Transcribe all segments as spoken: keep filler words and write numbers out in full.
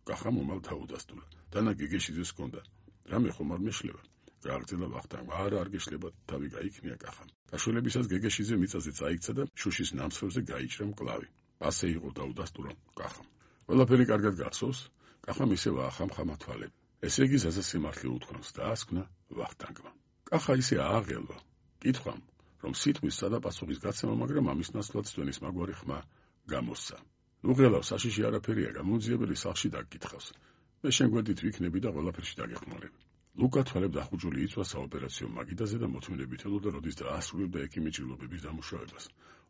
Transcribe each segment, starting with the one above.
კახამ უმალ დაუდასტურა. დანა გეგეშიძეს ჰქონდა რამე ხომ არ მეშლება. გააგრძელა ვახტანგმა. არა არ გეშლება, თავი გაიქნია კახამ. გაშველებისას გეგეშიძე მიწაზე წაიქცა და შუშის ნამსხვრებზე გაიჭრა მკლავი. ასე იყო დაუდასტურა კახამ. ყველაფერი კარგად გახსოვს? კახამ ისევ ახამხამა თვალები. ესე იგი ზაზა სიმართლე უთქვამს, დაასკვნა ვახტანგმა. კახა ისე ააღელვა. კითხვამ, რომ სიტყვის სადა პასუხის გაცემა, მაგრამ ამის ნაცვლად სვენის მაგვარი ხმა გამოსცა. ნუ ღელავ, საშიში არაფერია, გამოუძიებელი სახლში დაგკითხავს. მე შენ გვერდით ვიქნები და ყველაფერში დაგეხმარები. ლუკა თვალებ დახუჭული იწვა საოპერაციო მაგიდაზე და მოთმინებით ელოდა, როდის დაასრულებდა ექიმი ჭრილობების დამუშავებას.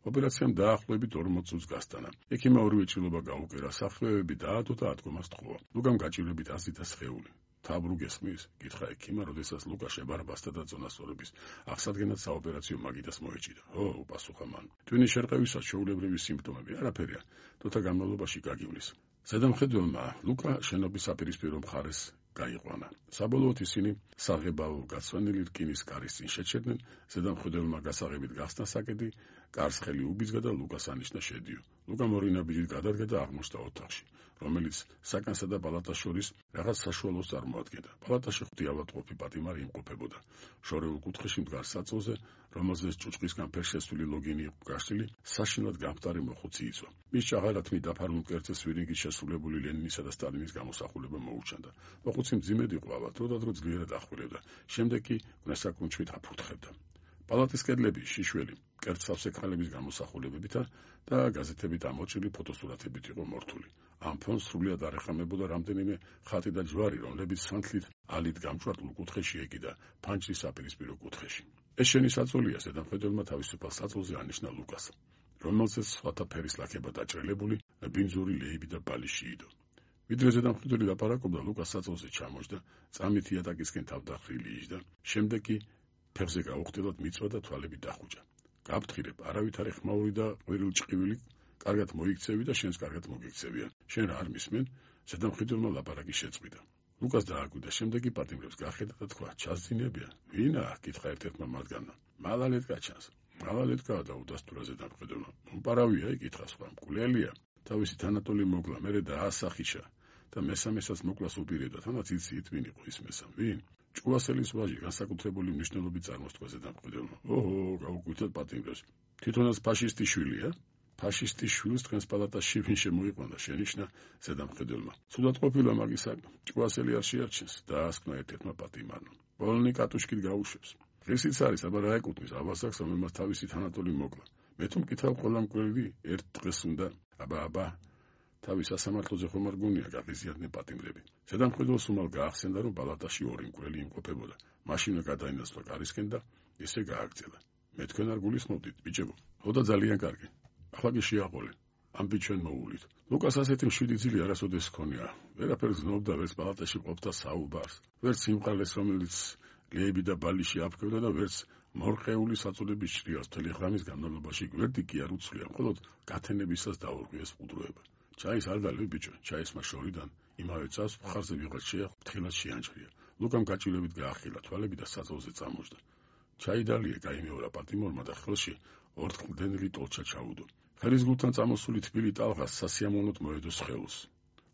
ოპერაციამ დაახლოებით ორმოც წუთს გასტანა. ექიმმა ორივე ჭრილობა გაუკერა, სახეობები დაადო და ადგომას თხოვა. ლუკამ გაჭირვებით აზრდა სხეული. თაბრუ გესმის? გითხრა ექიმმა, როდესაც ლუკა შებარბასდა და წონასწორების აღსადგენად საოპერაციო მაგიდას მოეჭიდა. ო, უპასუხა მან. ტვინის შერყევისას ჩვეულებრივი სიმპტომები არაფერია, თოთა განმავლობაში გაგივლის. ზედამხედველმა ლუკა შენობის საპირისპირო მხარეს გაიყვანა. საბოლოოდ ისინი საღებავ გაცვენილი რკინის კარის წინ შეჩერდნენ, ზედამხედველმა გასაღებით გახსნა საკედი, კარს ხელი უბიძგა და ლუკას ანიშნა შედიო. ლუკა ორი ნაბიჯით გადადგა და აღმოჩნდა ოთახში, რომელიც საკანსა და პალატას შორის რაღაც საშუალოს წარმოადგენდა. პალატაში ხუთი ავადმყოფი პატიმარი იმყოფებოდა. შორეულ კუთხეში მდგარ საწოლზე, რომელზეც ჭუჭყისგან ფერშესვილი ლოგინი იყო გაშლილი, საშინლად გამხდარი მოხუცი იწვა. მის ჭაღალათმი დაფარულ მკერდზე სვირინგით შესრულებული ლენინისა და სტალინის გამოსახულება მოუჩანდა. მოხუცი მძიმედ იყო ავად, დროდადრო ძლიერად ახვილებდა, შემდეგ კი გნესაკუნჩვით აფურთხებდა. პალატის კედლები შიშველი, კერძსავსე ქალების გამოსახულებებითა და გაზეთებით ამოჭრილი ფოტოსურათებით იყო მორთული. ამ ფონს სრულიად არ ეხამებოდა რამდენიმე ხატი და ჯვარი, რომლებიც სანთლით ალით გამჭვირვალ კუთხეში ეკიდა ფანჯრის საპირისპირო კუთხეში. ეს შენი საწოლია, ზედამხედველმა თავისუფალ საწოლზე ანიშნა ლუკას, რომელზეც სხვათა ფერის ლაქება დაჭრილებული, ბინძური ლეიბი და ბალიში იდო. ვიდრე ზედამხედველი ლაპარაკობდა, ლუკას საწოლზე ჩამოჯდა, წამით იატაკისკენ თავდახრილი იჯდა, შემდეგ კი ფეხზე გაუხტილად მიწვა და თვალები დახუჭა. გაფრთხილებ, არავითარი ხმაური და ყვირილ-ჭყივილი კარგად მოიქცევი და შენს კარგად მოგიქცევიან. შენ რა არ მისმენ? ზედამხედველმა ლაპარაკი შეწყვიტა. ლუკას დააკვირდა, შემდეგ კი პატიმრებს გახედა და თქვა, ჩასძინებიან. ვინა? კითხა ერთ-ერთმა მათგანმა. მალალეტკა ჩანს. მალალეტკა დაუდასტურა ზედამხედველმა. მომპარავია, იკითხა სხვა. მკვლელია. თავისი თანატოლი მოკლა, მერე დაასახიშა და მესამესაც მოკლას უპირებდა, თანაც იცი იტვინი იყო ის მესამ. ვინ? ჭკუასელის ვაჟი, განსაკუთრებული მნიშვნელობით წარმოსთქვა ზედამხედველმა. ოჰო, გაუკვირდეთ პატიმრებს. თვითონაც ფაშისტი შვილია? ფაშისტის შვილს თქვენს პალატაში ვინ შემოიყვანა, შენიშნა ზედამხედველმა. ცუდად ყოფილა მაგისა, ჭკუასელი არ შეარჩენს, დაასკვნა ერთ-ერთმა პატიმარმა. პოლონი კატუშკით გაუშვებს. ღირსიც არის, აბა რა ეკუთვნის, აბასაკს, რომელმაც თავისი თანატოლი მოკლა. მე თუ მკითხავ, ყველა მკვლელი ერთ დღეს უნდა, აბა, აბა, თავის სასამართლოზე ხომ არ გონია გაღიზიანდნენ პატიმრები. ზედამხედველს უმალ გაახსენდა, რომ პალატაში ორი მკვლელი იმყოფებოდა. მაშინვე გადაინაცვლა კარისკენ და ესე გააგრძელა. მე თქვენ არ გულისხმობდით, ბიჭებო. ოდა ძალიან კარგი. ახლა კი შეაყოლე. ამბი ჩვენ მოულით. ლუკას ასეთი მშვიდი ძილი არასოდეს ჰქონია. ვერაფერს გზნობდა, ვერც პალატაში ყოფდა საუბარს, ვერც სიმყარეს, რომელიც ლეიბი და ბალიში აფრქვევდა და ვერც მორყეული საწოლების ჭრიალს. მთელი ღამის განმავლობაში გვერდი კი არ უცვლია, მხოლოდ გათენებისას დაურღვიეს ყუდროება. ჩაის არ დალევი ბიჭო, ჩაისმა შორიდან იმავე წავს მხარზე ვიღაც შეეხო, ფრთხილად შეანჭრია. ლუკამ გაჭირვებით გაახილა თვალები და საწოლზე წამოჯდა. ჩაიდალია, გაიმეორა პატიმორმა და ხელში ორთქლდენილი ტოლჩა ჩაუდო. ხელის გულთან წამოსული თბილი ტალღა სასიამოვნოდ მოედო სხეულს.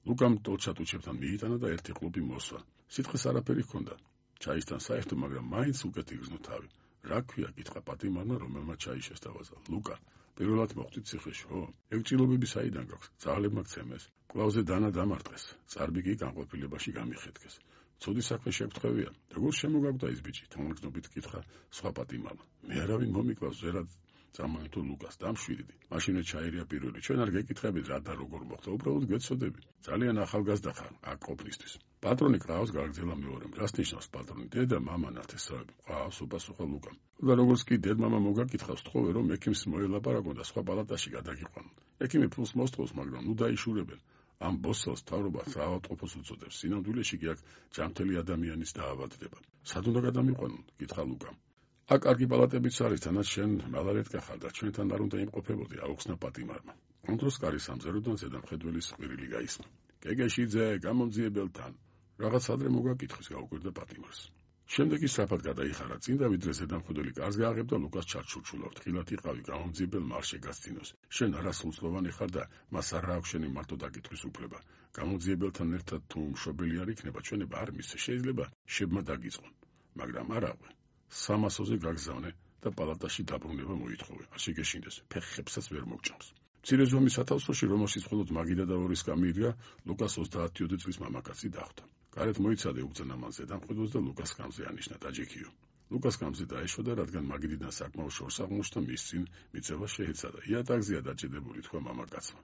ლუკამ ტოლჩა ტუჩებთან მიიტანა და ერთი ყლუპი მოსვა. სიტყვის არაფერი ჰქონდა. ჩაისთან საერთო, მაგრამ მაინც უკეთ იგრძნო თავი. რა ქვია, კითხა პატიმარმა, რომელმაც ჩაი შესთავაზა. ლუკა, პირველად მოხვდით ციხეში, ხო? ეგ ჭრილობები საიდან გაქვს? ძაღლებმა გცემეს. კლავზე დანა დამარტყეს. წარბი კი განყოფილებაში გამიხეთქეს. ცუდი საქმე შეგთხოვია. როგორ შემოგაგდა ის ბიჭი? თამაგნობით კითხა სხვა პატიმარმა. მე არავინ მომიკლავს, ზერად წამოეთო ლუკას, დამშვიდდი. მაშინვე ჩაირია პირველი. ჩვენ არ გეკითხებით რა და როგორ მოხდა, უბრალოდ გეცოდები. ძალიან ახალგაზრდა ხარ აქ ყოფნისთვის. პატრონი ყავს, გააგრძელა მეორემ. რას ნიშნავს პატრონი? დედა, მამა ნათესავები. ყავს, უპასუხა ლუკამ. და როგორც კი დედ-მამა მოგაკითხავს, თხოვე რომ ექიმს მოელაპარაკონ და სხვა პალატაში გადაგიყვანონ. ექიმი ფულს მოსთხოვს, მაგრამ ნუ დაიშურებენ. ამ ბოსელს თავრობა საავადმყოფოს უწოდებს. სინამდვილეში კი აქ ჯანმრთელი ადამიანის დაავადდება. სად უნდა გადამიყვანონ? კითხა ლუკამ. აქ კარგი პალატებიც არის, თანაც შენ მალალეტკა ხარ და ჩვენთან არ უნდა იმყოფებოდი, აუხსნა პატიმარმა. ამ დროს კარის სამზეროდან ზედამხედველის ყვირილი გაისმა. გეგეშიძე, გამომძიებელთან. რაღაც ადრე მოგაკითხვის, გაუკვირდა პატიმარს. შემდეგ ის სწრაფად გადაიხარა წინ და ვიდრე ზედამხედველი კარს გააღებდა, ლუკას ჩარჩურჩულა. ფრთხილად იყავი, გამომძიებელ მარშე გასცინოს. შენ არასრულწლოვანი ხარ და მას არ აქვს შენი მარტო დაკითხვის უფლება. გამოძიებელთან ერთად თუ მშობელი არ იქნება, ჩვენება არ მისცე, შეიძლება შებმა დაგიწყონ, მაგრამ არაღვე. სამასოზე გაგზავნე და პალატაში დაბრუნება მოითხოვე. არ შეგეშინდეს, ფეხებსაც ვერ მოგჭამს. მცირე ზომის სათავსოში, რომელშიც მხოლოდ მაგიდა და ორი სკამირია, ლუკას ოცდაათი წლის მამაკაცი დახვდა. გარეთ მოიცადე უგზანამან ზედამხედველს და ლუკას კამზე ანიშნა დაჯექიო. ლუკას კამზე დაეშვა, რადგან მაგიდიდან საკმაოდ შორს აღმოჩნდა, მის წინ მიწევა შეეცადა. იატაკზეა დაჭედებული, თქვა მამაკაცმა.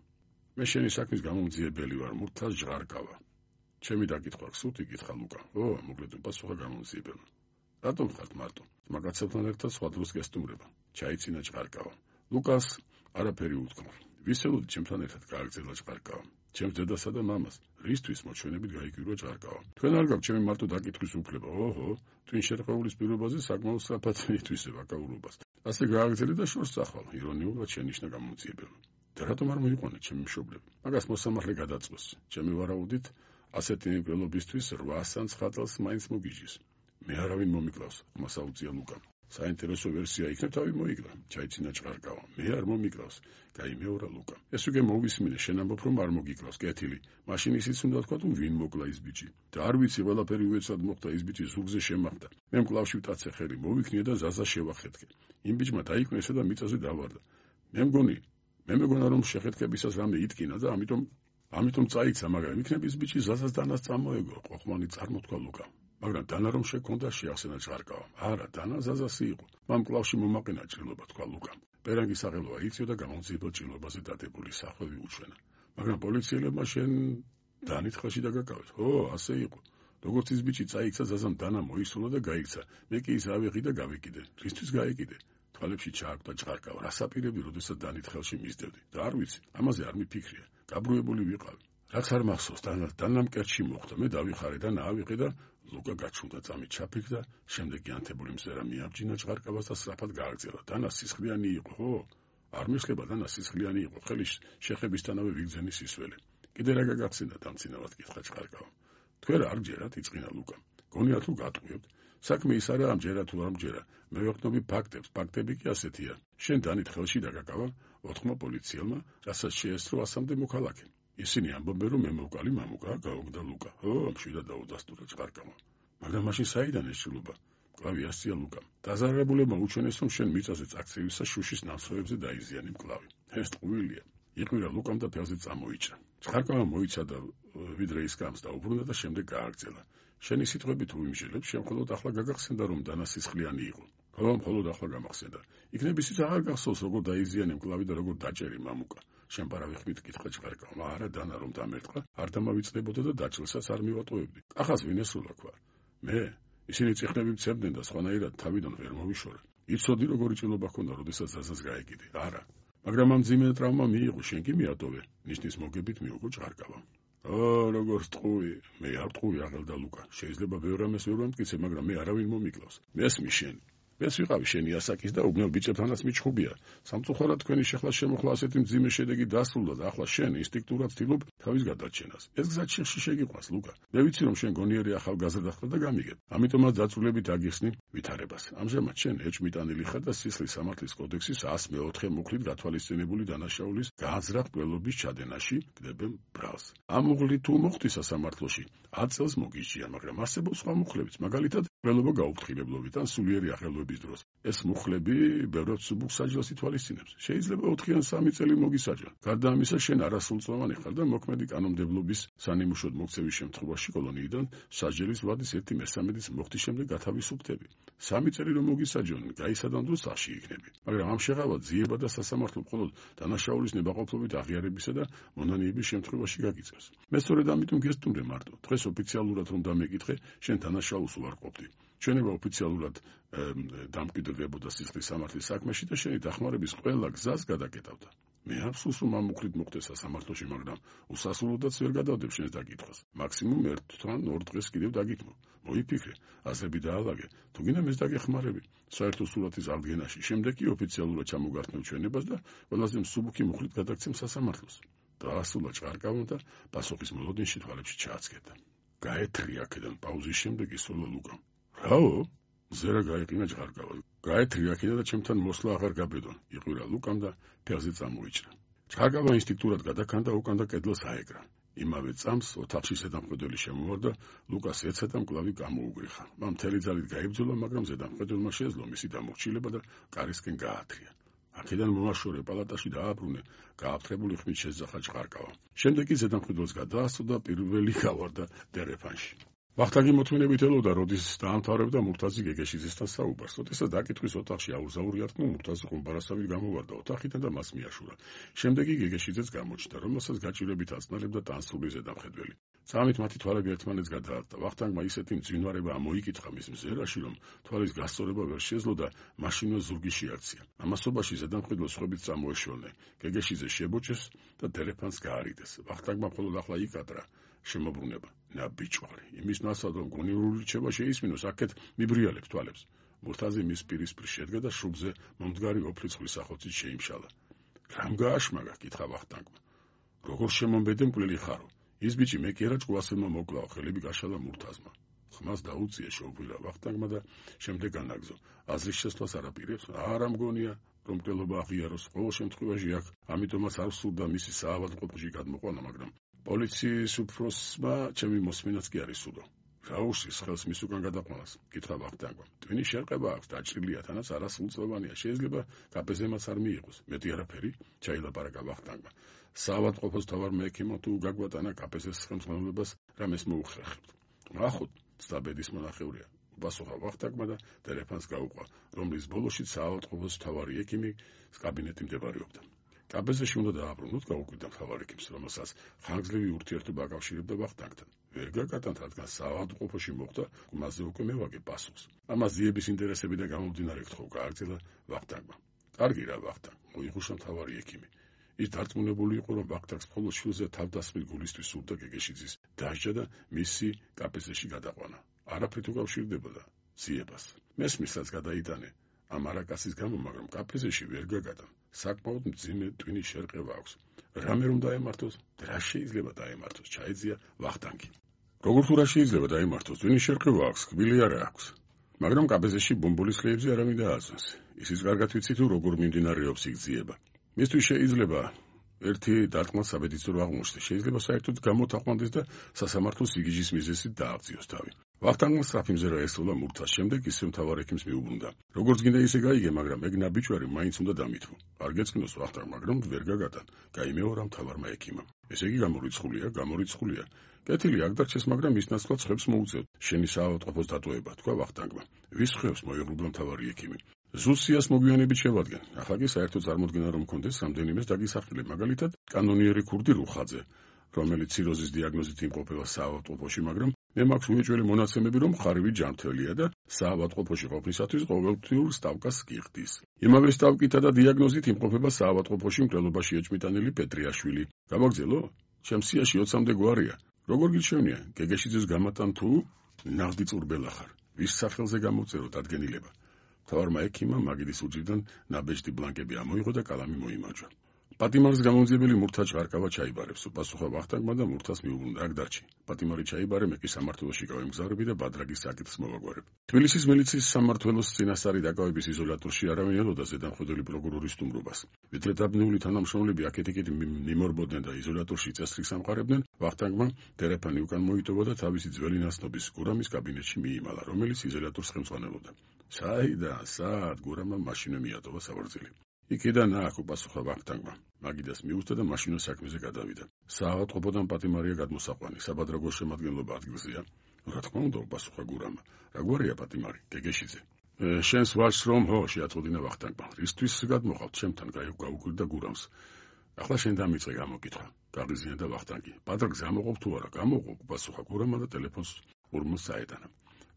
მე შენი საქმის გამომძიებელი ვარ, მურთას ჟღარკავა. ჩემი დაკითხვა გსურთ, იკითხა ლუკა. ო, მოკლედ უპასუხა გამომძიებელმა. რატომ ხართ მარტო? მაგაცებთან ერთად სხვა დროს გესტუმრება. ჩაიცინა ჟღარკავა. ლუკას არაფერი უთქმა. ვისელოდი ჩემთან ერთად გააგრძელა ჟღარკავა. ჩემს დედასა და მამას, რისთვის მოჩვენებით გაიგირო ჟღარკავა. თქვენ არ გაქვთ ჩემი მარტო დაკითხვის უფლება. ოჰო, twin შერყეულის პირობაზე საკმაოდ სწრაფად ითვისებ აკაურობას. ასე გააგრძელე და შორს წახვალ, ირონიულად შენიშნა გამომძიებელმა. და რატომ არ მოიყვანეთ ჩემი მშობლები? მაგას მოსამართლე გადაწყვეს. ჩემი ვარაუდით, ასეთი ნებელობისთვის რვას ან ცხრა წელს მაინც მოგიჟის. მე არავინ მომიკლავს, ხმას აუწია ლუკამ. საინტერესო ვერსია იქნებ თავი მოიგრა, ჩაიცინა ჭყარკავა. მე არ მომიკლავს, გაიმეორა ლუკა. ეს უკვე მოვისმინე, შენ ამბობ რომ არ მოგიკლავს, კეთილი. მაშინ ისიც უნდა თქვა თუ ვინ მოკლა ის ბიჭი. და არ ვიცი, ყველაფერი უეცრად მოხდა, ის ბიჭი ზურგზე შემახდა. მე მკლავში ვტაცე ხელი, მოვიქნიე და ზაზა შევახეთქე. იმ ბიჭმა დაიკვნესა და მიწაზე დავარდა. მე მგონი, მე მეგონა რომ შეხეთქებისას რამე იტკინა და ამიტომ ამიტომ წაიქცა, მაგრამ იქნებ ის ბიჭი ზაზას დანას წამოეგო, ყოყმანი წარმოთქვა ლუკა. მაგრამ დანა რომ შექონდა შეახსენა ჭყარკავა. არა, დანა ზაზასი იყო. მამ კლავში მომაყენა ჭრილობა, თქვა ლუკამ. პერანგის აღელვა იწიო და გამომძიებელ ჭრილობაზე დადებული სახვევი უჩვენა. მაგრამ პოლიციელებმა შენ დანით ხელში დაგაკავეს. ო, ასე იყო. როგორც ის ბიჭი წაიქცა, ზაზამ დანა მოისურვა და გაიქცა. მე კი ის ავიღი და გავეკიდე. რისთვის გაეკიდე? თვალებში ჩააგდა ჭყარკავა. რასაპირები, როდესაც დანით ხელში მისდევდი. და არ ვიცი, ამაზე არ მიფიქრია. გაბრუებული ვიყავი. რაც არ მახსოვს, დანა დანამ კერჩი მოხდა. მე დავიხარე და ნაავიღე და ლუკა გაჩუნდა წამით ჩაფიქრდა, შემდეგ ანთებული მზერა მიაბჯინა ჭყარკავას და სწრაფად გააგრძელა. დანა სისხლიანი იყო, ხო? არ მისხლება, დანა სისხლიანი იყო. ხელის შეხებისთანავე ვიგზენი სისველი. კიდე რა გაგახსენდა, დამცინავად კითხა ჭყარკავა. თქვენ არ გჯერათ, იწყინა ლუკა. გონიათ თუ გატყვიოთ. საქმე ის არა, ამჯერა თუ არ ამჯერა. მე ვეყნობი ფაქტებს, ფაქტები კი ასეთია. შენ დანით ხელში დაგაკავა, ოთხმა პოლიციელმა, რასაც შეესწრო ასამდე მოქალაქე. ისინი ამბობენ, რომ მე მოვკალი მამუკა, გაუგდა ლუკა. ო, მშვიდად დაუდასტურა ჭყარკავა. მაგრამ მაშინ საიდან ეს ჭრილობა? მკლავი ასწია ლუკამ. დაზარალებულებმა უჩვენეს, რომ შენ მიწაზე წაქცევისას შუშის ნამსხვრევებზე დაიზიანე მკლავი. ეს ტყუილია. იყვირა ლუკამ და ფეხზე წამოიჭრა. ჭყარკავა მოიცადა ვიდრე ის გამს დაუბრუნდა და შემდეგ გააგრძელა. შენი სიტყვები თუ იმჟელებს, შენ მხოლოდ ახლა გაგახსენდა, რომ დანა სისხლიანი იყო. ხო, მხოლოდ ახლა გამახსენდა. იქნებ ისიც აღარ გახსოვს, როგორ დაიზიანე მკლავი და როგორ დაჭერი მამუკა. შენ პარავიხმით კითხა ჭყარკავა. არა, დანა რომ დამერტყა, არ დამავიწყდებოდა და დაჭრილსაც არ მივატოვებდი. ახას ვინ ესრულა ქვა? მე? ისინი წიხნები მცემდნენ და სხვანაირად თავიდან ვერ მოვიშორე. იცოდი როგორი ჭრილობა ჰქონდა, როდესაც ზაზას გაეკიდე. არა. მაგრამ ამ ძიმე ტრავმა მიიღო, შენ კი მიატოვე. ნიშნის მოგებით მიუღო ჭყარკავა. ო, როგორ ტყუი. მე არ ტყუი, აღელდა ლუკა. შეიძლება ბევრ რამეს ვერ ვამტკიცე, მაგრამ მე არავინ მომიკლავს. მესმის შენ. ეს ვიყავი შენი ასაკის და უბნელ ბიჭებთანაც მიჩხუბია. სამწუხაროდ თქვენი შეხლა შემოხლა ასეთი მძიმე შედეგი დასრულდა და ახლა შენ ინსტინქტურად ვთილობ თავის გადარჩენას. ეს გზა ჩიხში შეგიყვანს, ლუკა. მე ვიცი რომ შენ გონიერი ახალგაზრდა ხარ და გამიგებ. ამიტომაც დაწვრილებით აგიხსნი ვითარებას. ამჟამად შენ ეჭმიტანილი ხარ და სისხლის სამართლის კოდექსის εκατს მეოთხე მუხლით გათვალისწინებული დანაშაულის განზრახ კვლელობის ჩადენაში გდებენ ბრალს. ამ მუხლით თუ მოხდი სასამართლოში, ათ წელს მოგიჭია, მაგრამ არსებობს სხვა მუხლებიც, მაგალითად კვლელობა გაუფრთხილებლობით ან სულიერი ახელვების დროს. ეს მუხლები ბევრად სუბუქ საჯელს ითვალისწინებს. შეიძლება ოთხი ან სამი წელი მოგისაჯონ. გარდა ამისა, შენ არასრულწლოვანი ხარ და მოქმედი კანონმდებლობის სანიმუშოდ მოქცევის შემთხვევაში კოლონიიდან საჯელის ვადის ერთი მესამედის მოხდის შემდეგ გათავისუფლდები. სამი წელი რომ მოგისაჯონ, გაისადან დროს სახში იქნები. მაგრამ ამ შეღავა ძიება და სასამართლო მხოლოდ დანაშაულის ნებაყოფლობით აღიარებისა და მონანიების შემთხვევაში გაგიწევს. მე სწორედ ამიტომ გესტუმრე მარტო. დღეს ოფიციალურად რომ დამეკითხე, შენ დანაშაულს უარყოფდი. ჩვენება ოფიციალურად დამკვიდრდებოდა სისხლის სამართლის საქმეში და შენი დახმარების ყველა გზას გადაკეტავდა. მე აფსულს რომ ამ მუხლით მოხდეს სასამართლოში, მაგრამ უსასრულოდაც ვერ გადავდებ შენს დაკითხვას. მაქსიმუმ ერთ-თან ორ დღეს კიდევ დაგითმო. მოიფიქრე, აზრები დაალაგე, თუ გინდა მეს დაგეხმარები. საერთო სურათის აღდგენაში, შემდეგ კი ოფიციალურად ჩამოგართმევ ჩვენებას და ყველაზე მსუბუქი მუხლით გადაგცემ სასამართლოს. დაასრულა ჭყარკავა და პასუხის მოლოდინში თვალებში ჩააცქერდა. გაეთრი აქედან პაუზის შემდეგ ისროლა ლუკამ. რაო? ზერა გაიყინა ჭყარკავა. გაეთრი აქედან და ჩემთან მოსვლა აღარ გაბედონ. იყვირა ლუკამ და ფეხზე წამოიჭრა. ჭყარკავა ინსტინქტურად გადაქანდა უკან და კედელს აეკრა. იმავე წამს ოთახში ზედამხედველი შემოვარდა, ლუკას ეცა და მკლავი გამოუგრიხა. მან მთელი ძალით გაიბრძოლა, მაგრამ ზედამხედველმა შეძლო მისი დამორჩილება და კარისკენ გაათრია. აქედან მომაშორე პალატაში დააბრუნე, გააფთრებული ხმით შეძახა ჭყარკავა. შემდეგ კი ზედამხედველს გადაასწრო და პირველი გავარდა დერეფანში. ვახტანგი მოთმინებით ელოდა, როდის დაამთავრებდა მურთაზი გეგეშიძესთან საუბარს. როდესაც დაკითხვის ოთახში აურზაური არტყმა, მურთაზი ყუმბარასავით გამოვარდა ოთახიდან და მას მიაშურა. შემდეგ კი გეგეშიძეც გამოჩნდა, რომელსაც გაჭირვებით აწნალებდა ტანსრული ზედამხედველი. წამით მათი თვალები ერთმანეთს გადაარდა. ვახტანგმა ისეთი მძვინვარება ამოიკითხა მის მზერაში, რომ თვალის გასწორება ვერ შეძლო და მაშინვე ზურგი შეარცია. ამასობაში ზედამხედველს სხვებით წამოეშორნენ. გეგეშიძე შებოჭეს და დერეფანს გაარიდეს. ვახტანგმა მხოლოდ ახლა იკადრა შემოbruneba. ნაბიჯვარი, იმის ნაცვლად, რომ გონივრული რჩება შეისმინოს, აქეთ მიბრიალებს თვალებს. მურთაზი მის პირისპირ შედგა და შუბზე მომდგარი ოფლის ხვლისახოცით შეიმშალა. რამ გააშმაგა, კითხა ვახტანგმა. როგორ შემომბედე მკვლელი ხარო? ის ბიჭი მე კი არა ჭკუასელმა მოკლაო, ხელები გაშალა მურთაზმა. ხმას დაუწია შეუპირა ვახტანგმა და შემდეგ განაგზო. აზრის შესვლას არ აპირებს, არა მგონია, რომ მკვლელობა აღიაროს, ყოველ შემთხვევაში აქ, ამიტომაც არ სურდა მისი საავადმყოფოში გადმოყვანა, მაგრამ პოლიციის უფროსმა ჩემი მოსმენაც კი არის სურდა. რა უშლის ხელს მის უკან გადაყვანას? კითხა ვახტანგმა. ტვინის შერყება აქვს, დაჭრილია, თანაც არასრულწლოვანია, შეიძლება კაპეზემაც არ მიიღოს. მეტი არაფერი, ჩაილაპარაკა ვახტანგმა. საავადმყოფოს თავარ მექიმო თუ გაგვატანა კაპეზეს ხელმძღვანელობას, რამეს მოუხერხებთ. ნახოთ, ცდაბედის მონახევრია. პასუხა ვახტანგმა და დერეფანს გაუყვა, რომლის ბოლოშიც საავადმყოფოს თავარი ექიმი კაბინეტი მდებარეობდა. კაპეზეში უნდა დააბრუნოთ, გაუკვირდა მთავარ ექიმს, რომელსაც ხანგრძლივი ურთიერთობა აკავშირებდა ვახტანგთან. ვერ გაკატანთ, რადგან საავადმყოფოში მოხდა, მასზე უკვე მე ვაგებ პასუხს. ამას ძიების ინტერესებიდან გამომდინარე გთხოვ, გააგრძელა ვახტანგმა. კარგი რა ვახტანგ, მოიხუშა მთავარი ექიმი. ის დარწმუნებული იყო, რომ ვახტანგს მხოლოდ შვილზე თავდასხმის გულისთვის სურდა გეგეშიძის დასჯა და მისი კაპეზეში გადაყვანა. არაფრით უკავშირდებოდა ძიებას. მესმისაც გადაიტანე ამ არაკაცის გამო, მაგრამ კაპეზეში ვერ გაგატან. საკმაოდ მძიმე ტვინის შერყება აქვს. რამე რომ დაემართოს, რა შეიძლება დაემართოს, ჩაეძია ვახტანგი. როგორ თუ რა შეიძლება დაემართოს, ტვინის შერყება აქვს, კბილი არა აქვს. მაგრამ კაპეზეში ბომბოლის ხეებზე არავინ დააძვენს. ისიც კარგად ვიცი თუ როგორ მიმდინარეობს იქ ძიება. მისთვის შეიძლება ერთი დარტყმა საბედისწორო აღმოჩნდეს, შეიძლება საერთოდ გამოთაყვანდეს და სასამართლოს სიგიჟის მიზეზით დააღწიოს თავი. ვახტანგმა სწრაფი მზერა ესწროლა მურთას, შემდეგ ისე მთავარ ექიმს მიუბრუნდა. როგორც გინდა ისე გაიგე, მაგრამ ეგ ნაბიჯვარი მაინც უნდა დამითვო. არ გეწკნოს ვახტანგ, მაგრამ ვერ გაგატან. გაიმეორა მთავარმა ექიმამ. ესე იგი გამორიცხულია, გამორიცხულია. კეთილი აქ დარჩეს, მაგრამ ის ნაცვლად ხებს მოუწევთ. შენი საავადმყოფოს დატოვება, თქვა ვახტანგმა. ვის ხებს მოეღრუბლა მთავარი ექიმი. ზუსიას მოგვიანებით შევადგენ. ახლა კი საერთოდ წარმოდგენა რომ მქონდეს რამდენიმეს დაგისახელე, მაგალითად, კანონიერი ქურდი რუხაძე, რომელიც ციროზის დიაგნოზით იმყოფება საავადმყოფოში, მაგრამ მე მაქვს უეჭველი მონაცემები, რომ ხარივი ჯანმრთელია და საავადმყოფოში ყოფნისათვის ყოველთვიურ სტავკას გიხდის. იმავე სტავკითა და დიაგნოზით იმყოფება საავადმყოფოში მკვლელობაში ეჭმიტანილი პეტრიაშვილი. გავაგზელო? ჩემს სიაში ოცამდე გვარია. როგორ გიჩვენია? გეგეშიძეს გამატან თუ ნაღდი წურბელა ხარ? ვის სახელზე გამოწერო დადგენილება? მთავარმა ექიმმა მაგიდის უჯრიდან ნაბეჭდი ბლანკები ამოიღო და კალამი მოიმარჯვა. პატიმარის გამომძიებელი მურთა ჭყარკავა ჩაიბარებს, პასუხა ვახტანგმა და მურთას მიუბრუნდა. აქ დარჩი. პატიმარი ჩაიბარე, მე კი სამმართველოში გავემგზავრები და ბადრაგის საკითხს მოვაგვარებ. თბილისის მილიციის სამმართველოს წინასწარი დაკავების იზოლატორში არავინ ელოდა ზედამხედველი პროკურორის სტუმრობას. ვიდრე დაბნეული თანამშრომლები აქეთ-იქით მიმორბოდნენ და იზოლატორში წესრიგს ამყარებდნენ, ვახტანგმა დერეფანი უკან მოიტოვა და თავისი ძველი ნაცნობის გურამის კაბინეტში მიიმალა, რომელიც იზოლატორს ხელმძღვანელობდა. საიდან, სად გურამმა მაშინვე მიატოვა საბრძილი. იქიდან აქ უპასუხა ვახტანგმა. მაგიდას მიუწდა და მაშინვე საქმეზე გადავიდა. საავადმყოფოდან პატიმარია გადმოსაყვანი, საბადრაგოს შემადგენლობა ადგილზეა. რა თქმა უნდა, უპასუხა გურამმა. რა გვარია პატიმარი? გეგეშიძე. შენს ვარს რომ ხო, შეაწყვეტინა ვახტანგმა. რისთვის გადმოყავთ ჩემთან? გაუკვირდა გურამს. ახლა შენ დამიწყე გამოკითხვა. გაღიზიანდა ვახტანგი. ბადრაგს გამოყოფ თუ არა? გამოყოფ, უპასუხა გურამმა და ტელეფონს ურმოს საეტანა.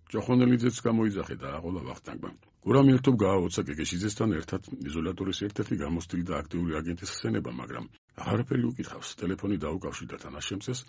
ჯოხონელიძეც გამოიძახე და აყოლა ვახტანგმა. გურამი ერთობ გააოცა გეგეშიძესთან ერთად იზოლატორის ერთ-ერთი გამოსტილი და აქტიური აგენტის ხსენება, მაგრამ აღარაფერი უკითხავს. ტელეფონი დაუკავშირდა თანაშემწეს,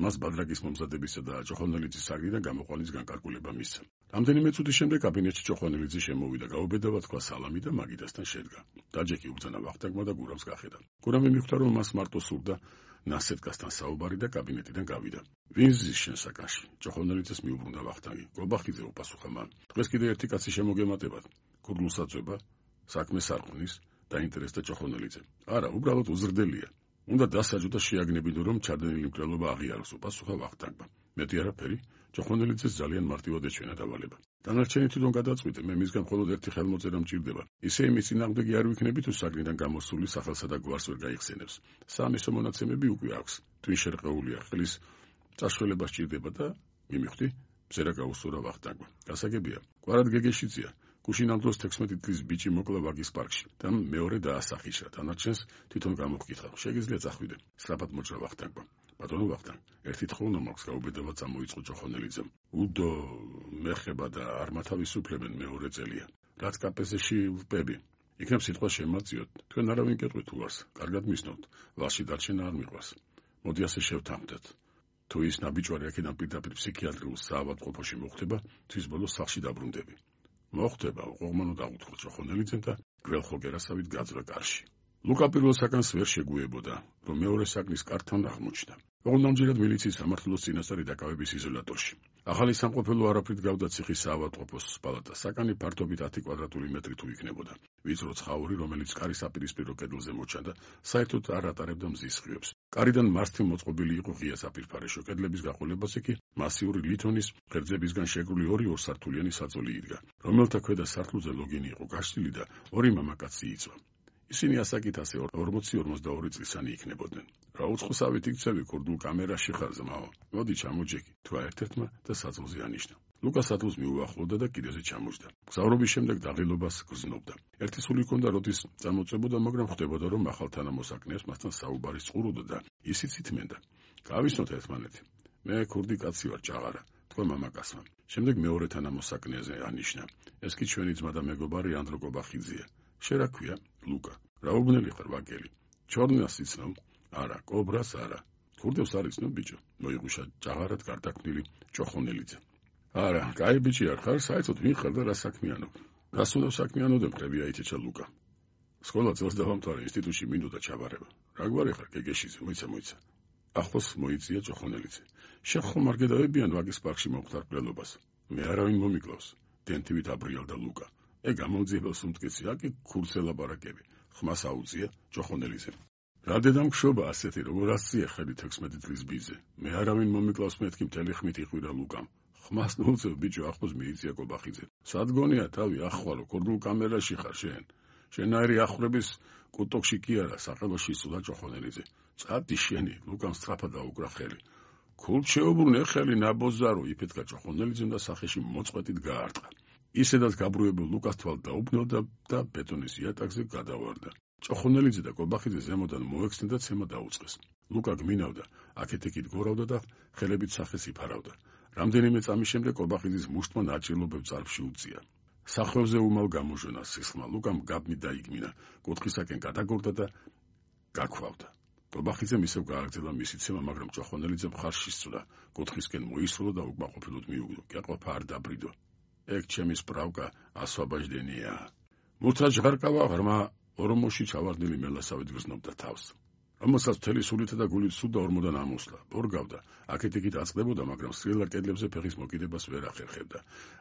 მას ბადრაგის მომზადებისა და ჯოხონელიძის საგრიდან გამოყვანის განკარგულება მისცა. რამდენიმე წუთის შემდეგ კაბინეტში ჯოხონელიძე შემოვიდა, გაუბედავა, თქვა სალამი და მაგიდასთან შედგა. დაჯექი უბრძანა ვახტანგმა და გურამს გახედა. გურამი მიხვდა, რომ მას მარტო სურდა ნასეტკასთან საუბარი და კაბინეტიდან გავიდა. ვინ ზის შენ საკანში? ჯოხონელიძეს მიუბრუნდა ვახტანგი. გობახიძე, უპასუხა მან. დღეს კიდე ერთი კაცი შემოგემატებათ. ქურდულსაწვება, საქმეს არ ხვნის, დაინტერესდა ჯოხონელიძე. არა, უბრალოდ უზრდელია. უნდა დასაჯო და შეაგნებინო, რომ ჩადენილი მკვლელობა აღიაროს, უპასუხა ვახტანგმა. მეტი არაფერი, ჭოხონელიძეს ძალიან მარტივად ეჩვენა დავალება. დანარჩენი თვითონ გადაწყვიტე, მე მისგან მხოლოდ ერთი ხელმოწერა მჭირდება. ისე იმის წინააღმდეგი არ ვიქნები, თუ საგნიდან გამოსული სახელსა და გვარს ვერ გაიხსენებს. საამისო მონაცემები უკვე აქვს. twin შერყეულია, ხელის წაშველება სჭირდება და მიმიხვდი, მზერა გაუსურა ვახტანგმა. გასაგებია, კვარად გეგეშიძია. გუშინ ამ დროს თექვსმეტი წლის ბიჭი მოკლა ვაგის პარკში და მეორე დაასახიშა. დანარჩენს თვითონ გამოვკითხა. შეგიძლია წახვიდე. სწრაფად მოჭრა ვახტანგმა. ბატონო ვახტანგ, ერთი თხოვნო მაქვს, გაუბედავად წამოიწყო ჭოხონელიძემ. უდო მეხება და არ მათავისუფლებენ მეორე წელია. რაც კაპეზეში ვპები. იქნებ სიტყვა შემაწიოთ. თქვენ არავინ გეტყვით უარს. კარგად მისნოთ. ვალში დარჩენა არ მიყვარს. მოდი ასე შევთანხმდეთ. თუ ის ნაბიჯვარი აქედან პირდაპირ ფსიქიატრიულ საავადმყოფოში მოხვდება, თვის ბოლოს სახლში დაბრუნდები. მოხდება, უყურმანო დაუთხო ჭოხონელიძემ და გველხო გერასავით გაძვრა კარში. ლუკა პირველ საგანს ვერ შეგუებოდა, რომ მეორე საგნის კართან აღმოჩნდა. ოღონდ მილიციის სამართლოს წინასწარი დაკავების იზოლატორში. ახალი სამყოფელო არაფრით გავდა ციხის საავადმყოფოს პალატას. საკანი ფართობით ათი კვადრატული მეტრი თუ იქნებოდა. ვიწრო ცხაური, რომელიც კარის საპირისპირო კედელზე მოჩანდა, საერთოდ არ ატარებდა მზის ხიობს. კარიდან მარცხნივ მოწყობილი იყო ღია საფირფარეშო, კედლების გაყოლებაზე კი მასიური ლითონის ღერძებისგან შეკრული ორი ორსართულიანი საწოლი იდგა, რომელთა ქვედა სართულზე ლოგინი იყო გაშლილი და ორი მამაკაცი იწვა. ისინი ასაკით ასე ორმოცი ორმოცდაორი წლისანი იქნებოდნენ. რა უცხოსავით იქცევი ქურდულ კამერაში ხარ ზმაო. მოდი ჩამოჯექი, თქვა ერთ-ერთმა და საწოლზე ანიშნა. ლუკა საწოლს მიუახლოვდა და კიდეზე ჩამოჯდა. გზავრობის შემდეგ დაღილობას გრძნობდა. ერთი სული ჰქონდა, როდის წამოწებოდა, მაგრამ ხვდებოდა, რომ ახალ თანამოსაკნეებს მასთან საუბარი წყუროდა და ისიც ითმენდა. გავისნოთ ერთმანეთი. მე ქურდი კაცი ვარ, ჭაღარა, თქვა მამაკაცმა. შემდეგ მეორე თანამოსაკნეზე ანიშნა. ეს კი ჩვენი ძმა და მეგობარი ანდრო კობახიძეა. შენ რა ქვია? ლუკა. რა უბნელი ხარ, ვაგელი? ჩორნას იცნობ? არა, კობრას არა. ქურდებს არ იცნობ, ბიჭო? მოიღუშა ჭაღარად გარდაქმნილი ჭოხონელიძე. არა, კაი ბიჭი არ ხარ, საერთოდ ვინ ხარ და რა საქმიანობ? რას უნდა საქმიანოდე, მხრებია იცეჩა ლუკა. სკოლა წელს დავამთავრე, ინსტიტუტში მინდოდა ჩაბარება. რა გვარი ხარ, გეგეშიძე, მოიცა, მოიცა. ახლოს მოიწია ჭოხონელიძე. შენ ხომ არ გედავებიან ვაგის პარკში მომხდარ მკვლელობას? მე არავინ მომიკლავს. დენთივით აბრიალდა ლუკა. ე გამომძიებელს უმტკიცი, აკი ქურცელაბარაკები. ხმას აუწია ჭოხონელიძემ. რა დედამგშობა ასეთი, როგორ ასწია ხელი თექვსმეტი წლის ბიძე. მე არავინ მომიკლავს, მეთქი მთელი ხმით იყვირა ლუკამ. ხმას ნუწევ, ბიჭო, ახლოს მიიწია კობახიძე. სადგონია თავი, ახვალო, ქურდულ კამერაში ხარ შენ. შენაირი ახვრების კუტოკში კი არა, საყელოში იცოდა ჭოხონელიძე. წადი შენი, ლუკამ სწრაფად დაუკრა ხელი. ქულთ შეუბრუნე ხელი ნაბოზარო, იფეთქა ჭოხონელიძემ და სახეში მოწყვეტით გაარტყა. ისედაც გაბრუებულ ლუკას თვალ დაუბნელდა და ბეტონის იატაკზე გადავარდა. ჭოხონელიძე და კობახიძე ზემოდან მოექცნენ და ცემა დაუწყეს. ლუკა გმინავდა, აქეთ-იქით გორავდა და ხელებით სახეს იფარავდა. რამდენიმე წამის შემდეგ კობახიძის მუშტმა ნაჭირლობებ წარფში უწია. სახვევზე უმალ გამოჟონა სისხლმა, ლუკამ გაბმით დაიგმინა, კუთხისაკენ გადაგორდა და გაქვავდა. კობახიძემ ისევ გააგრძელა მისი ცემა, მაგრამ ჭოხონელიძემ ხარში სწვდა, კუთხისკენ მოისროლა და უკმაყოფილოდ მიუგდო. გეყოფა არ დაბრიდო. ეგ ჩემი სპრავკა ასვაბაჟდენია. მურთა ჟღარკავა ღრმა ორმოში ჩავარდნილი მელასავით გრძნობდა თავს. რომელსაც მთელი სულითა და გულით სუდა ორმოდან ამოსლა. ბორგავდა, აქეთ-იქით აწყდებოდა, მაგრამ სრიალა კედლებზე ფეხის მოკიდებას ვერ ახერხებდა.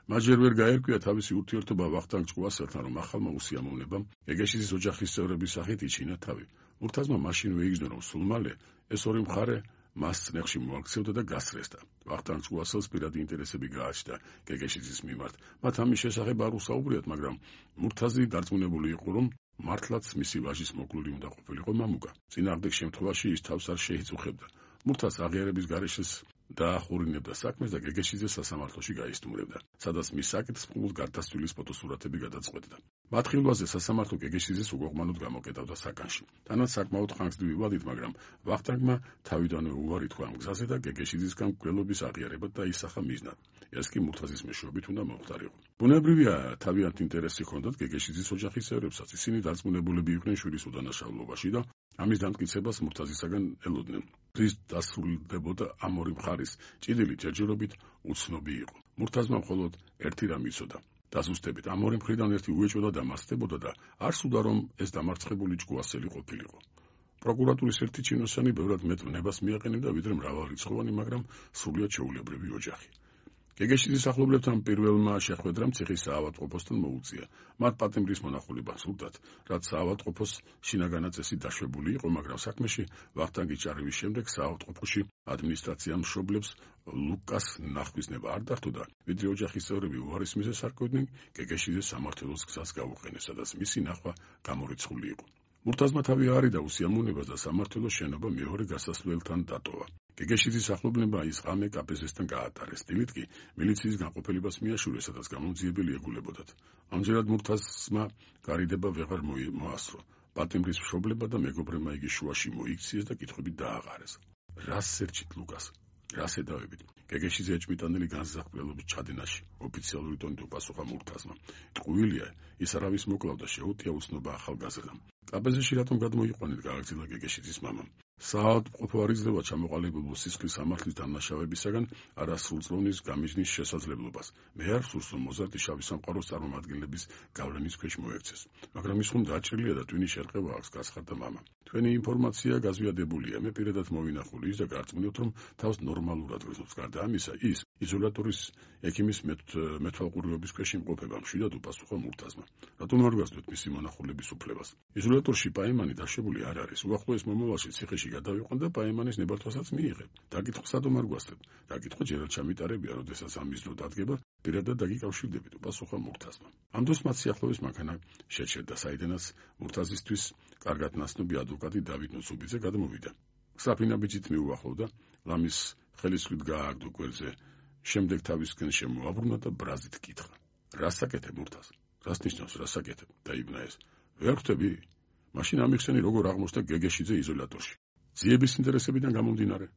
მას ჯერ ვერ გაერკვია თავისი ურთიერთობა ვახტანგ ჭკუასელთან, რომ ახალმა უსიამოვნებამ გეგეშიძის ოჯახის წევრების სახით იჩინა თავი. მურთაზმა მაშინ ვეიგზნო, რომ სულ მალე ეს ორი მხარე მას წნეხში მოაქცევდა და გასწრესდა. ვახტანგ ჭკუასელს პირადი ინტერესები გააჩნდა გეგეშიძის მიმართ. მათ ამის შესახებ არ უსაუბრიათ, მაგრამ მურთაზი დარწმუნებული იყო, რომ მართლაც მისი ვაჟის მოკლული უნდა ყოფილიყო მამუკა. წინააღმდეგ შემთხვევაში ის თავს არ შეიწუხებდა. მურთას აღიარების გარეშე დაახურინებდა საქმეს და გეგეშიძეს სასამართლოში გაისტუმრებდა, სადაც მის საკითხს გარდაცვლილის ფოტოსურათები გადაწყვეტდა. მათ ხილვაზე სასამართლო გეგეშიძეს უგოღმანოდ გამოკეტავდა საკანში. თანაც საკმაოდ ხანგრძლივი ვადით, მაგრამ ვახტანგმა თავიდანვე უარი თქვა ამ გზაზე და გეგეშიძისგან მკვლელობის აღიარება დაისახა მიზნად. ეს კი მურთაზის მეშვეობით უნდა მომხდარიყო. ბუნებრივია, თავიანთ ინტერესი ჰქონდათ გეგეშიძის ოჯახის წევრებსაც. ისინი დარწმუნებულები იყვნენ შვილის უდანაშაულობაში და ამის დამტკიცებას მურთაზისაგან ელოდნენ. რის დასრულდებოდა ამ ორი მხარის ჭიდილი ჯერჯერობით უცნობი იყო. მურთაზმა მხოლოდ ერთი რამ იცოდა. დასუსტებით ამ ორი მხრიდან ერთი უეჭოდა და მასწდებოდა და არ სურდა, რომ ეს დამარცხებული ჭკუასელი ყოფილიყო. პროკურატურის ერთი ჩინოსანი ბევრად მეტ ვნებას მიაყენებდა, ვიდრე მრავალრიცხოვანი, მაგრამ სრულიად ჩვეულებრივი ოჯახი. გეგეშიძის ახლობლებთან პირველმა შეხვედრამ ციხის საავადმყოფოსთან მოუწია. მათ პატიმრის მონახულება სურდათ, რაც საავადმყოფოს შინაგანა წესი დაშვებული იყო, მაგრამ საქმეში ვახტანგი ჭარევის შემდეგ საავადმყოფოში ადმინისტრაციამ მშობლებს ლუკას ნახვის ნება არ დართო და ვიდრე ოჯახის წევრები უარის მიზეზს არკვევდნენ, გეგეშიძე სამართლოს გზას გაუყენეს, სადაც მისი ნახვა გამორიცხული იყო. მურთაზმა თავი არიდა უსიამოვნებას და სამართლოს შენობა მეორე გასასვლელთან დატოვა. გეგეშიძის ახლობლებმა ის ღამე კა პე ზესთან გაატარეს. დილით კი მილიციის განყოფილებას მიაშურეს, სადაც გამოძიებელი ეგულებოდათ. ამჯერად მურთაზმა გარიდება ვეღარ მოასწრო. პატიმრის მშობლებმა და მეგობრებმა იგი შუაში მოიქციეს და კითხვებით დააყარეს. რას სერჩით ლუკას? რას ედავებით? გეგეშიძე ეჭვმიტანილი განსაზღვრელობის ჩადენაში ოფიციალური ტონით უპასუხა მურთაზმა. ტყუილია, ის არავის მოკლავდა, შეუტია უსნობა ახალგაზრდამ. კა პე ზეში რატომ გადმოიყვანეთ, გააგრძელა გეგეშიძის მამამ. საავადმყოფო არ იძლევა ჩამოყალიბებულ სისხლის სამართლის დამნაშავებისაგან არასრულწლოვნის გამიზნის შესაძლებლობას. მე არ სურს, რომ მოზარდი შავი სამყაროს წარმომადგენლების გავლენის ქვეშ მოექცეს. მაგრამ ის ხომ დაჭრილია და ტვინი შერყევა აქვს, გაცხარდა მამამ. თქვენი ინფორმაცია გაზვიადებულია, მე პირადად მოვინახული ის და გარწმუნებთ, რომ თავს ნორმალურად გრძნობს. გარდა ამისა, ის იზოლატორის ექიმის მეთვალყურეობის ქვეშ იმყოფება, მშვიდად უპასუხა მურთაზმა. რატომ არ გასდოთ მისი მონახულების უფლებას? იზოლატორში პაემანი დაშვებული არ არის. უახლოეს მომავალში ციხეში გადავიყვან და პაემანის ნებართვასაც მიიღებ. დაკითხვა სადომ არ გვასწრებ? დაკითხვა ჯერად ჩამიტარებია, როდესაც ამის დრო დადგება, პირადად დაგიკავშირდებით, უპასუხა მურთაზმა. ამ დროს მათ სიახლოვეს მანქანა შეჩერდა, საიდანაც მურთაზისთვის კარგად ნაცნობი ადვოკატი დავით ნუცუბიძე გადმოვიდა. საფინა ბიჭით მიუახლოვდა, ლამის ხელისხლით გაააგდო გვერდზე, შემდეგ თავისკენ შემოაბრუნა და ბრაზით კითხა. რას საკეთებ მურთაზ? რას ნიშნავს რას საკეთებ? დაიბნა ეს. ვერ ხვდები? მაშინ ამიხსენი როგორ აღმოჩნდა გეგეშიძე იზოლატორში. ძიების ინტერესებიდან გამომდინარე.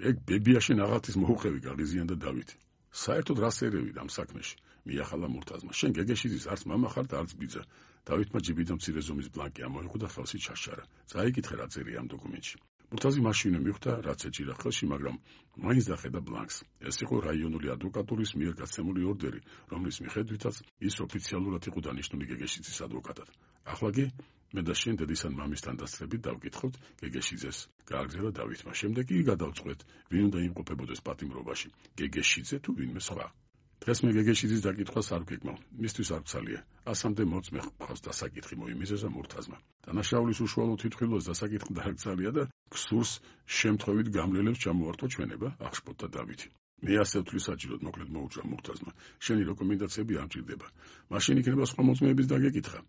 ეგ ბებიაშენ აღათის მოუხევი გაღიზიანდა დავითი. საერთოდ რას ერევით ამ საქმეში? მიახალა მურთაზმა. შენ გეგეშიძის არც მამა ხარ და არც ბიძა. დავითმა ჯიბიდან მცირე ზომის ბლანკი ამოიღო და ხელში ჩაშარა. წაიკითხე რა წერია ამ დოკუმენტში. მურთაზი მაშინვე მიხვდა, რაც ეჭირა ხელში, მაგრამ მაინც დახედა ბლანკს. ეს იყო რაიონული ადვოკატურის მიერ გაცემული ორდერი, რომლის მიხედვითაც ის ოფიციალურად იყო დანიშნული გეგეშიძის ადვოკატად. ახლა კი მე და შენ დედისთან მამისთან დასწრებით დავკითხოთ გეგეშიძეს, გააგრძელა დავითმა. შემდეგ კი გადავწყვეტ, ვინ უნდა იმყოფებოდეს პატიმრობაში, გეგეშიძე თუ ვინმე სხვა. დღეს მე გეგეშიძის დაკითხვას არ ვგეგმავ, მისთვის არ ვცალია. ასამდე მოწმე ხავს დასაკითხი მოიმიზეზა მურთაზმა. დანაშაულის უშუალო თვითმხილველს დასაკითხი დააკრძალია და გსურს შემთხვევით გამლელებს ჩამოართვა ჩვენება, აღშფოთდა დავითი. მე ასე ვთვლი საჭიროდ, მოკლედ მოუწვა მურთაზმა. შენი რეკომენდაციები არ მჭირდება. მაშინ იქნება სხვა მოწმეების დაგეკითხა.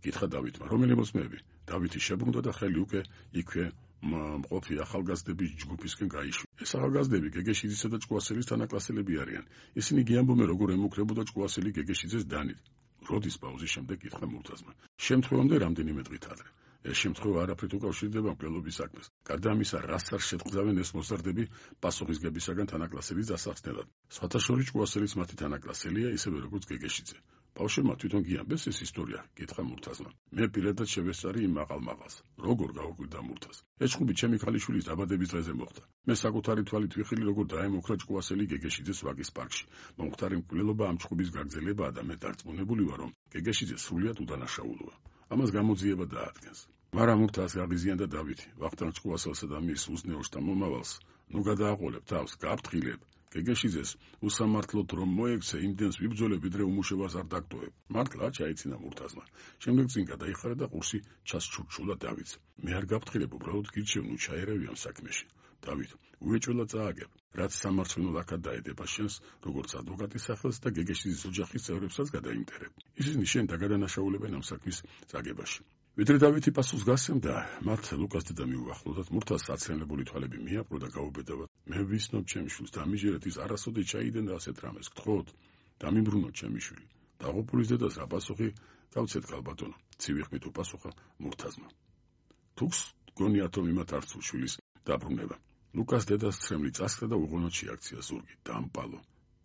კითხა დავითმა, რომელი მოწმეები? დავითი შებრუნდა და ხელი უკვე იქვე მყოფი ახალგაზრდების ჯგუფისკენ გაიშვა. ეს ახალგაზრდები გეგეშიძისა და ჭკუასელის თანაკლასელები არიან. ისინი გიამბობენ, როგორ ემუქრებოდა ჭკუასელი გეგეშიძეს დანით. როდის პაუზის შემდეგ კითხა მურთაზმა. შემთხვევამდე რამდენიმე დღით ადრე. ეს შემთხვევა არაფრით უკავშირდება მკვლელობის საქმეს. გარდა ამისა, რას არ შეტყდავენ ეს მოზარდები პასუხისგებისაგან თანაკლასელის დასახსნელად. სხვათა შორის ჭკუასელიც მათი თანაკლასელია, ისევე როგორც გეგეშიძე. ბავშვებმა თვითონ გიამბეს ეს ისტორია, კითხა მურთაზმა. მე პირადად შევესწარი იმ მაყალ-მაყალს. როგორ გაუკვირდა მურთაზ? ეს ჭუბი ჩემი ქალიშვილის დაბადების დღეზე მოხდა. მე საკუთარი თვალით ვიხილე, როგორ დაემუქრა ჭკუასელი გეგეშიძეს ვაკის პარკში. მომხდარი მკვლელობა ამ ჭუბის გაგრძელებაა და მე დარწმუნებული ვარ, რომ გეგეშიძე სრულიად უდანაშაულოა. ამას გამოძიება დაადგენს. მაგრამ მურთაზ გაღიზიანდა დავითი. ვახტანგ ჭკუასელსა და მის უზნეოშ და მომავალს ნუ გადააყოლებ თავს, გაფრთხილებ. გეგეშიძეს უსამართლოდ რომ მოექცე, იმდენს ვიბრძოლებ, ვიდრე უმუშევარს არ დაგტოვებ. მართლა ჩაიცინა მურთაზმა. შემდეგ წინ გადაიხარა და ყურსი ჩასჩურჩულა დავითს. მე არ გაფრთხილებ, უბრალოდ გირჩევ, ნუ ჩაერავი ამ საქმეში. დავით, უეჭველად წააგებ, რაც სამართლინო ლაქად დაედება შენს, როგორც ადვოკატის სახელს და გეგეშიძის ოჯახის წევრებსაც გადაიმტერებ. ისინი შენ დაგადანაშაულებენ ამ საქმის წაგებაში. ვიდრე დავითი პასუხს გასცემდა, მათ ლუკას დედა მიუახლოვდათ, მურთაზს საცრემლებული თვალები მიაპყრო და გაუბედავა. მე ვისნობ ჩემს შვილს, დამიჯერეთ ის არასოდეს ჩაიდენ და ასეთ რამეს გთხოვთ, დამიმბრუნოთ ჩემი შვილი. დაღუპულის დედას რა პასუხი გავცეთ ქალბატონო, ცივი ხმით უპასუხა მურთაზმა. თუქს გონიათ რომ იმათ არ სურს შვილის დაბრუნება. ლუკას დედას ცრემლი წასხდა და უღონოდ შეაქცია ზურგი, დამპალო.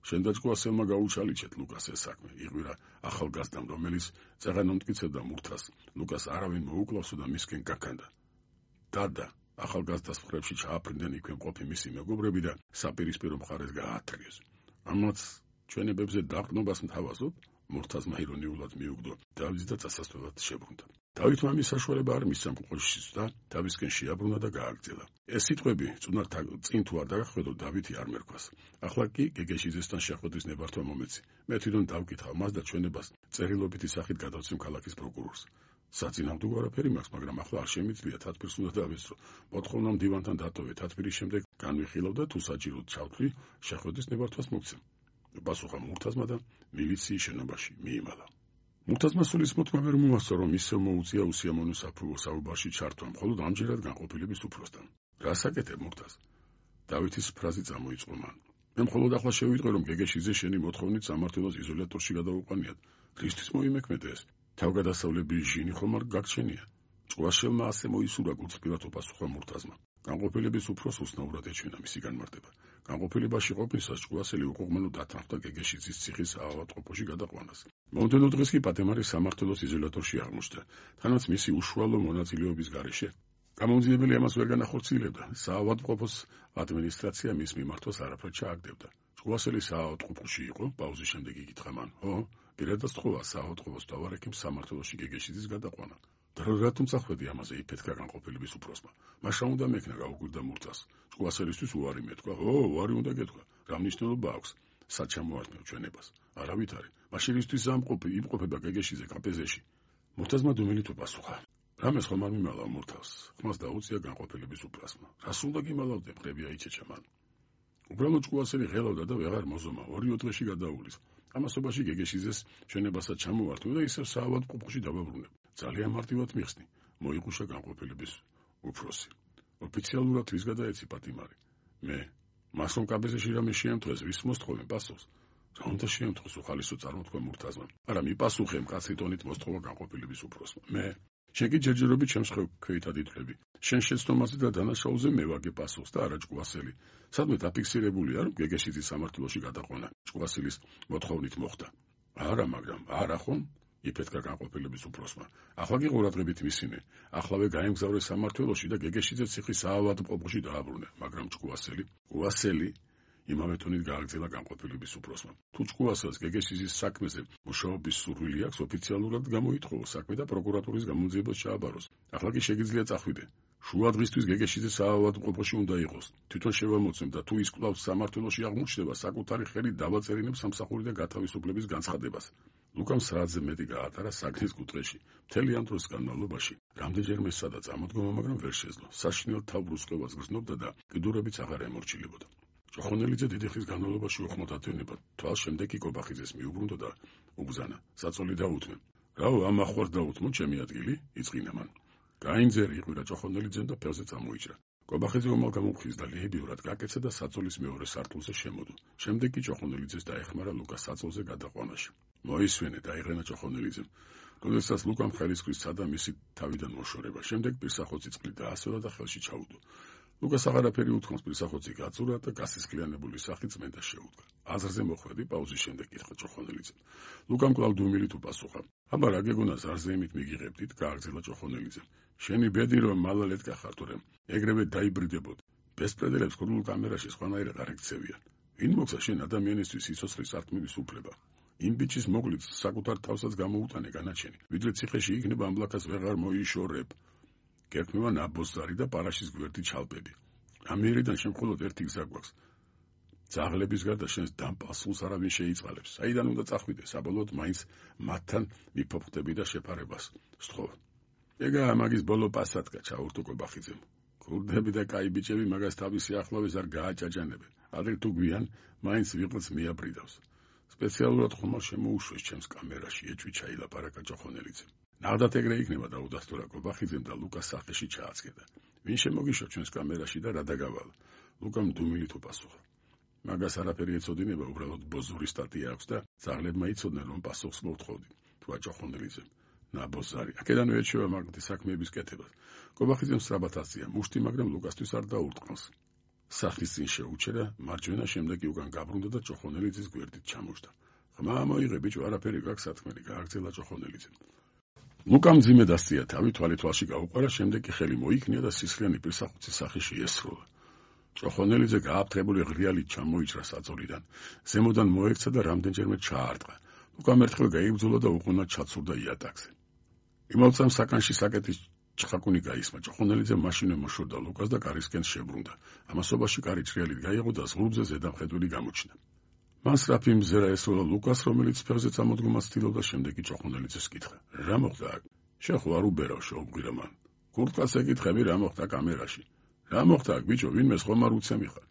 შენ და ჭკუასელმა გაუჩალიჩეთ ლუკას ეს საქმე, იღვირა ახალგაზრდამ, რომელიც წაღან ომტკიცებდა მურთაზს. ლუკას არავინ მოუკლავსო და მისკენ გაქანდა. დადა, ახალგაზრდას მხრებში ჩააფრინდნენ იქვე მყოფი მისი მეგობრები და საპირისპირო მხარეს გააათრიეს. ამაც ჩვენებებზე დაყრდნობას მთავაზობ, მურთაზმა ირონიულად მიუგდო დავითს და წასასვლელად შებრუნდა. დავითმა მის საშუალება არ მისცა მკუყოშის და თავისკენ შეაბრუნა და გააგრძელა. ეს სიტყვები წუნარ წინ თუ არ დაგახვედო დავითი არ მერქვას. ახლა კი გეგეშიძესთან შეხვედრის ნებართვა მომეცი. მე თვითონ დავკითხავ მას და ჩვენებას წერილობითი სახით გადავცემ ქალაქის პროკურორს. საწინააღმდეგო არაფერი მაქვს, მაგრამ ახლა არ შემიძლია თათბირს უნდა დავესწრო. მოთხოვნა მდივანთან დატოვე, თათბირის შემდეგ განვიხილავ და თუ საჭიროდ ჩავთვლი, შეხვედრის ნებართვას მოგცემ. პასუხა მურთაზმა და მილიციის შენობაში მიიმალა. მურთაზმა სულის მოთმა ვერ მოასწრო, რომ ისევ მოუწია უსიამოვნო საუბარში ჩართვა, მხოლოდ ამჯერად განყოფილების უფროსთან. რას აკეთებ მურთაზ? დავითის ფრაზი წამოიწყო მან. მე მხოლოდ ახლა შევიტყვე, რომ გეგეშიძე შენი მოთხოვნით სამართლოს იზოლატორში გადაუყვანიათ. რისთვის მოიმექმედე ეს? თავგადასავლების ჟინი ხომ არ გაგჩენია? ჭკუაშელმა ასე მოისურვა გულწრფელად პასუხა მურთაზმა. განყოფილების უფროს უცნაურად ეჩვენა მისი განმარტება. განყოფილებაში ყოფნისას ჭკუასელი უყურმანო დათანხმდა გეგეშიძის ციხის ავადმყოფოში გადაყვანას. მომდევნო დღეს კი პატემარი სამართლოს იზოლატორში აღმოჩნდა, თანაც მისი უშუალო მონაწილეობის გარეშე გამომძიებელი ამას ვერ განახორციელებდა. საავადმყოფოს ადმინისტრაცია მის მიმართვას არაფრად ჩააგდებდა. ჭკუასელი საავადმყოფოში იყო, პაუზის შემდეგ იკითხა მან: "ო, პირადად სწხოვა საავადმყოფოს დავარექიმ სამართლოში გეგეშიძის გადაყვანა. და რატომ წახვედი ამაზე?" იფეთქა განყოფილების უფროსმა. "მაშა უნდა მექნა", გაუკვირდა მურთაზ. "ჭკუასელისთვის უარი მეტყვა." "ო, უარი უნდა გეთქვა. რა მნიშვნელობა აქვს? სად ჩამოართმევ ჩვენებას?" "არავით არის. მაშინ ისთვის ამყოფი იმყოფება გეგეშიძე კაპეზეში." მურთაზმა დუმილით უპასუხა. "რამეს ხომ არ მიმალავ მურთაზ?" ხმას დაუწია განყოფილების უფროსმა. "რას უნდა გიმალავდე?" მყრებია იჩეჩა მან. უბრალოდ ჭკუასელი ღელავდა და ვეღარ მოზომა. ორი დღეში გადაულის. ამასობაში გეგეშიძეს ჩვენებასაც ჩამოვართვე და ისევ საავადმყოფოში დავაბრუნებ. ძალიან მარტივად მიხსნი, მოიყუშა განყოფილების უფროსი. ოფიციალურად ვის გადაეცი პატიმარი? მე. მას რომ კაბეზეში რამე შეემთხვეს, ვის მოსთხოვე პასუხს? რა უნდა შეემთხვეს? უხალისო წარმოთქვა მურთაზმა. არა, მიპასუხე, მკაცრი ტონით მოსთხოვა განყოფილების უფროსმა. მე. შენ კი ჯერჯერობით ჩემს ქვეითად ითვლები. შენ შეცდომაზე და დანაშაულზე მე ვაგე პასუხს და არა ჭკუასელი. სადმე დაფიქსირებულია, რომ გეგეშიძის სამართლოში გადაყვანა ჭკუასელის მოთხოვნით მოხდა. არა, მაგრამ არა ხომ? იფეთქა განყოფილების უფროსმა. ახლა კი ყურადღებით მისინე. ახლავე გაემგზავრე სამართლოში და გეგეშიძე ციხის საავადმყოფოში დააბრუნე, მაგრამ ჭკუასელი, ჭკუასელი იმავე ტონით გააგრძელა განყოფილების უფროსმა. თუ ჭკუასელს გეგეშიძის საქმეზე მუშაობის სურვილი აქვს, ოფიციალურად გამოითხოვოს საქმე და პროკურატურის გამომძიებას ჩააბაროს. ახლა კი შეგიძლია წახვიდე. შუა დღისთვის გეგეშიძე საავადმყოფოში უნდა იყოს. თვითონ შევამოწმებ და თუ ის კვლავ სამართლოში აღმოჩნდება, საკუთარი ხელით დავაწერინებ სამსახური და გათავისუფლების განცხადებას. ლუკამ სრაძე მეტი გაატარა საგნის კუთხეში. მთელი ამ დროს განმავლობაში რამდენჯერმე სადაც ამოდგომა, მაგრამ ვერ შეძლო. საშინელ თავბრუსყევას გრძნობდა და კიდურებიც აღარ ემორჩილებოდა. ჭოხონელიძე დიდი ხნის განმავლობაში უხმოდ ათვენება, თვალს შემდეგ კი კობახიძეს მიუბრუნდა და უბრძანა: "საწოლი დაუთმე." "რაო, ამ ახვარ დაუთმო, ჩემი ადგილი?" იწყინა მან. გაინძერი იყვირა ჭოხონელიძემ და ფეხზე წამოიჭრა. კობახიძე ომალ გამოფხიზ და ლიებიურად გაკეცა და საწოლის მეორე სართულზე შემოდო. შემდეგ კი ჭოხონელიძეს დაეხმარა ლუკას საწოლზე გადაყვანაში. მოისვენე, დაიღენა ჭოხონელიძემ. როდესაც ლუკამ ხელისყრის სცადა მისი თავიდან მოშორება, შემდეგ პირსახოცი წყლით დაასვენა და ხელში ჩაუდო. ლუკას აღარაფერი უთქვამს, პირსახოცი გაწურა და გასისხლიანებული სახით წმენდას შეუდგა. აზრზე მოხვედი, პაუზის შემდეგ კითხა ჭოხონელიძემ. ლუკამ კვლავ დუმილით უპასუხა. "აბა რა გეგონა ზარზეიმით მიგიღებდით?" გააგრძელა ჭოხონელიძემ. "შენი ბედი რომ მალალეთ გახარ, თორემ ეგრევე დაიბრიდებოდ. ბესპრედელებს ქურდულ კამერაში სხვანაირად არ ექცევიან. ვინ მოგცა შენ ადამიანისთვის სიცოცხლის ართმივის უფლება? იმ ბიჭის მოგლით საკუთარ თავსაც გამოუტანე განაჩენი, ვიდრე ციხეში იქნება ამბლაქას ვეღარ მოიშორებ. გერქმევა ნაბოზარი და პარაშის გვერდი ჩალპები. ამიერიდან შენ მხოლოდ ერთი გზა გვაქვს. ძაღლების გარდა შენს დამპალსულს არავინ შეიწყალებს. საიდან უნდა წახვიდე, საბოლოოდ მაინც მათთან მიფოფხდები და შეფარებას სთხოვ. ეგაა მაგის ბოლო პასატკა, ჩაურთო კობახიძემ. ქურდები და კაი ბიჭები მაგას თავისი ახლავეს არ გააჭაჭანებენ. ადრე თუ გვიან, მაინც ვიღაც მიაბრიდავს. სპეციალურად ხომალ შემოუშვეს ჩემს კამერაში, ეჭვი ჩაილაპარაკა ჭოხონელიძემ. ნახდათ ეგრე იქნება, დაუდასტურა კობახიძემ და ლუკას სახეში ჩააცქედა. ვინ შემოგიშვა ჩვენს კამერაში და რა დაგავალა? ლუკამ დუმილით უპასუხა. მაგას არაფერი ეცოდინება, უბრალოდ ბოზური სტატია აქვს და ძაღლებმა იცოდნენ, რომ პასუხს მოვთხოვდი. თქვა ჭოხონელიძემ. ნაბოზარი, აქედანვე ერჩევა მაგათი საქმეების კეთებას. კობახიძემ სწრაფად აცია მუშტი, მაგრამ ლუკასთვის არ დაურტყმოს. სახლის წინ შეუჩერა, მარჯვენა შემდეგ კი უკან გაბრუნდა და ჭოხონელიძის გვერდით ჩამოჯდა. "ხმა მოიღე ბიჭო, არაფერი გაქვს სათქმელი", გააგრძელა ჭოხონელიძემ. ლუკამ მძიმე დასწია თავი, თვალი თვალში გაუყარა, შემდეგ კი ხელი მოიქნია და სისხლიანი პირსახოცის სახეში ესროლა. ჭოხონელიძე გააფთრებული ღრიალით ჩამოიჭრა საწოლიდან. ზემოდან მოექცა და რამდენჯერმე ჩაარტყა. ლუკამ ერთხელ გაიბრძოლა და უყუნად ჩაცურდა იატაკზე. იმავე წამს საკანში საკეთის ჩხაკუნი გაისმა. ჭოხონელიძე მაშინვე მოშორდა ლუკას და კარისკენ შებრუნდა. ამასობაში კარი ჭრიალით გაიღო და ზღურბზე ზედამხედველი გამოჩნდა. მან სწრაფი მზერა ესროლა ლუკას, რომელიც ფეხზე წამოდგომას ცდილობდა, შემდეგ კი ჭოხონელიძეს კითხა: რა მოხდა აქ? შეხო არ უბერავ, შეუბრირა მან. კურტკას ეკითხები, რა მოხდა კამერაში? რა მოხდა აქ, ბიჭო, ვინმეს ხომ არ უცემი ხარ?